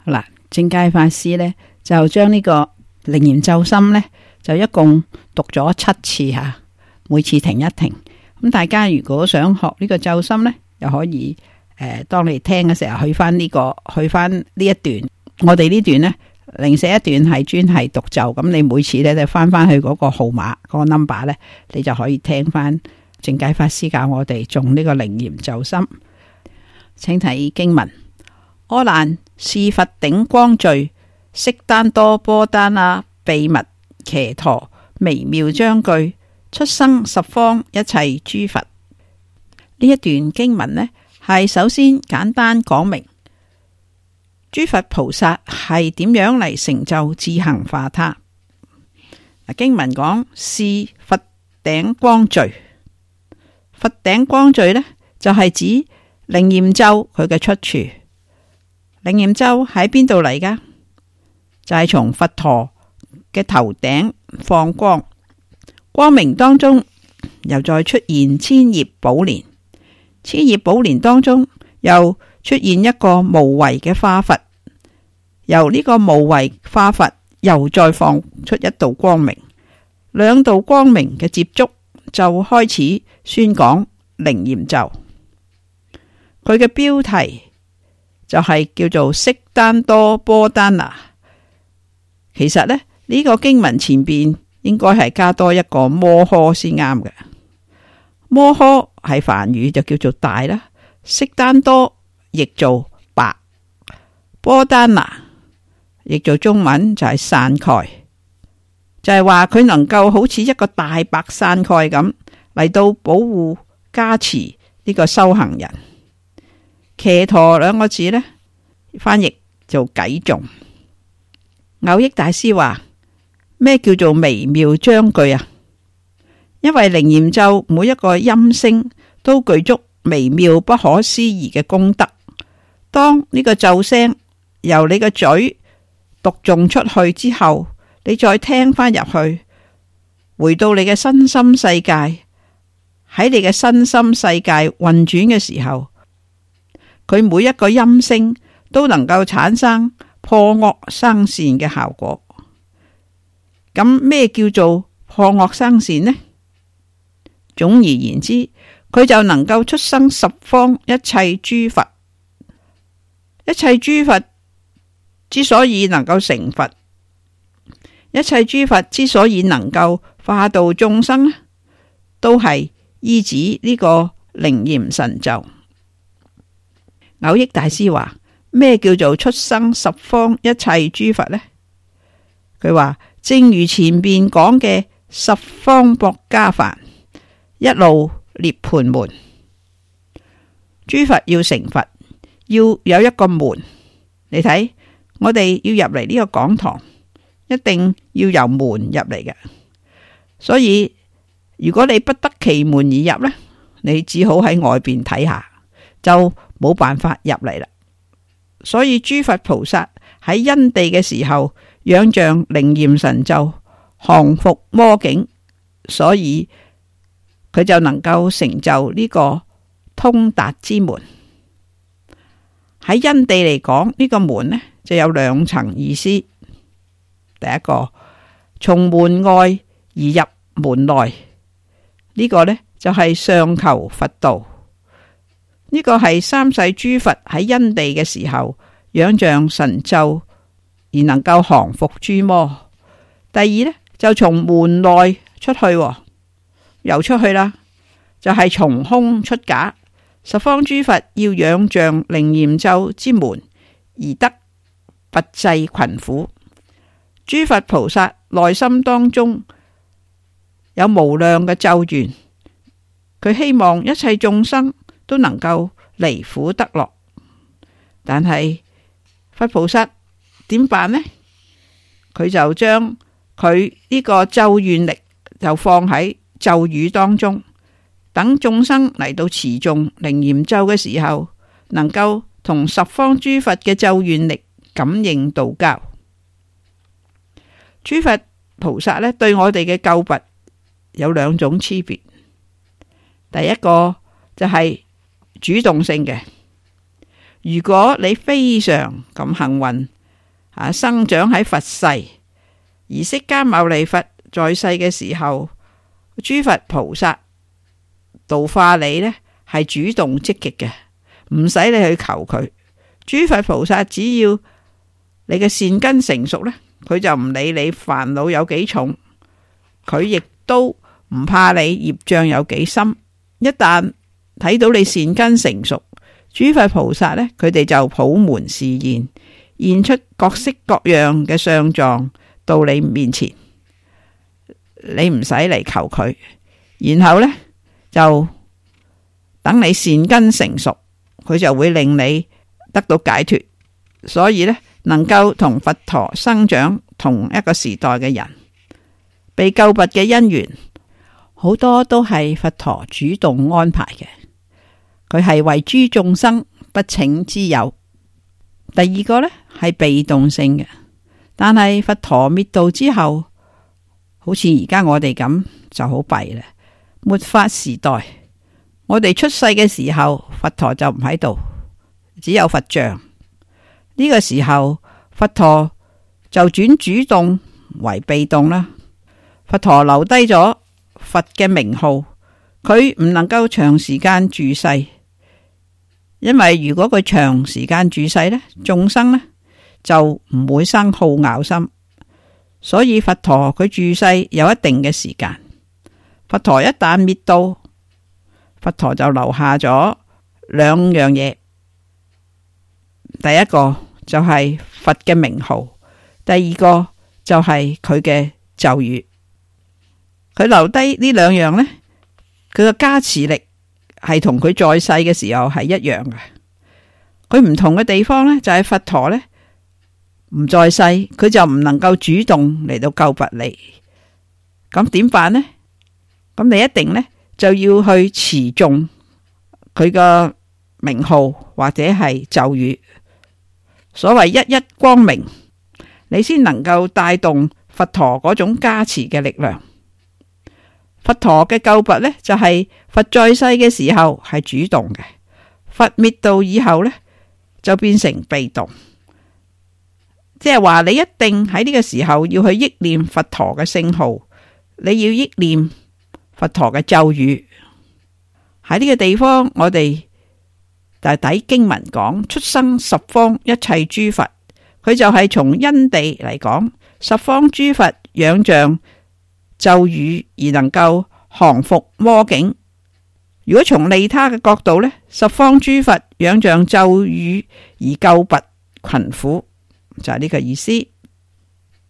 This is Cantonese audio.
嗱，正解法師呢，就將呢個楞嚴咒心呢，就一共讀咗7次吓，每次停一停。咁大家如果想學呢個咒心呢，又可以當你聽嘅時候去翻呢一段。我哋呢段呢，零舍一段係專係讀咒，咁你每次呢，就翻去嗰個號碼嗰個 number 呢，你就可以聽翻正解法師教我哋誦呢個楞嚴咒心。請睇經文：阿難，是佛頂光聚，悉丹多波丹那秘密伽陀微妙章句，出生十方一切諸佛。呢一段經文呢，係首先簡單講明諸佛菩薩係點樣嚟成就自行化他。經文講是佛頂光聚，佛頂光聚呢，就係指楞嚴咒佢嘅出處。楞嚴咒喺邊度嚟噶？就係從佛陀嘅頭頂放光，光明當中又再出現千葉寶蓮，千葉寶蓮當中又出現一個無為嘅化佛，由呢個無為化佛又再放出一道光明，兩道光明嘅接觸就開始宣講楞嚴咒。佢嘅標題就係叫做悉丹多波丹那。其實呢，呢個經文前邊應該係加多一個摩訶先啱嘅。摩訶係梵語就叫做大啦，悉丹多譯做白，波丹那譯做中文就係傘蓋，就係話佢能夠好似一個大白傘蓋咁嚟到保護加持呢個修行人。伽陀兩個字呢，翻譯做偈頌。藕益大師話：咩叫做微妙章句啊？因為楞嚴咒每一個音聲都具足微妙不可思議嘅功德。當呢個咒聲由你個嘴讀誦出去之後，你再聽翻入去，回到你嘅身心世界，喺你嘅身心世界運轉嘅時候，佢每一個音聲都能夠產生破惡生善嘅效果。咁咩叫做破惡生善呢？總而言之，佢就能夠出生十方一切諸佛。一切諸佛之所以能夠成佛，一切諸佛之所以能夠化度眾生，都係依止呢個楞嚴神咒。藕益大師話：咩叫做出生十方一切諸佛呢？佢話正如前邊講嘅十方薄伽梵，一路涅槃門。諸佛要成佛，要有一個門。你睇，我哋要入嚟呢個講堂，一定要由門入嚟嘅。所以如果你不得其門而入呢，你只好喺外邊睇下，就冇辦法入嚟啦。所以諸佛菩薩喺因地嘅時候，仰仗楞嚴神咒，降伏魔境，所以佢就能夠成就呢個通達之門。喺因地嚟講，呢個門呢就有兩層意思。第一個，從門外而入門內，呢個呢就係上求佛道。呢個係三世諸佛喺因地嘅時候仰仗神咒而能夠降伏諸魔。第二呢，就從門內出去，又出去啦，就係從空出假。十方諸佛要仰仗楞嚴咒之門而得拔濟群苦。諸佛菩薩內心當中有無量嘅咒願，佢希望一切眾生都能夠離苦得樂。但係佛菩薩點辦呢？佢就將佢呢個咒願力就放喺咒語當中，等眾生嚟到持誦楞嚴咒嘅時候，能夠同十方諸佛嘅咒願力感應道交。諸佛菩薩呢，對我哋嘅救拔有兩種差別。第一個就係主動性嘅，如果你非常咁幸運生長喺佛世，而釋迦牟尼佛在世嘅時候，諸佛菩薩度化你呢係主動積極嘅，唔使你去求佢。諸佛菩薩只要你嘅善根成熟呢，佢就唔理你煩惱有幾重，佢亦都唔怕你業障有幾深。一旦睇到你善根成熟，諸佛菩薩呢，佢哋就普門示現，現出各式各樣嘅相狀到你面前，你唔使嚟求佢，然後呢，就等你善根成熟，佢就會令你得到解脫。所以呢，能夠同佛陀生長同一個時代嘅人，被救拔嘅因緣好多都係佛陀主動安排嘅，佢係為諸眾生不請之友。第二個呢係被動性嘅，但係佛陀滅度之後，好似而家我哋咁就好弊啦。末法時代，我哋出世嘅時候，佛陀就唔喺度，只有佛像。呢個時候，佛陀就轉主動為被動啦。佛陀留低咗佛嘅名號，佢唔能夠長時間住世，因為如果佢長時間住世呢，眾生呢就唔會生好咬心。所以佛陀佢住世有一定嘅時間。佛陀一旦滅度，佛陀就留下咗兩樣嘢。第一個就係佛嘅名號，第二個就係佢嘅咒語。佢留低呢兩樣呢，佢嘅加持力係同佢在世嘅時候係一樣嘅。佢唔同嘅地方呢，就係佛陀呢唔在世，佢就唔能夠主動嚟到救拔你。咁點辦呢？咁你一定呢就要去持誦佢嘅名號或者係咒語。所謂一一光明，你先能夠帶動佛陀嗰種加持嘅力量。佛陀嘅救拔呢，就係佛在世嘅時候係主動嘅，佛滅度以後呢，就變成被動。即係話你一定喺呢個時候要去憶念佛陀嘅聖號，你要憶念佛陀嘅咒語。喺呢個地方，我哋就底經文講出生十方一切諸佛，佢就係從因地嚟講，十方諸佛仰仗咒語而能夠降伏魔境。如果從利他嘅角度呢，十方諸佛仰仗咒語而救拔群苦，就係呢個意思。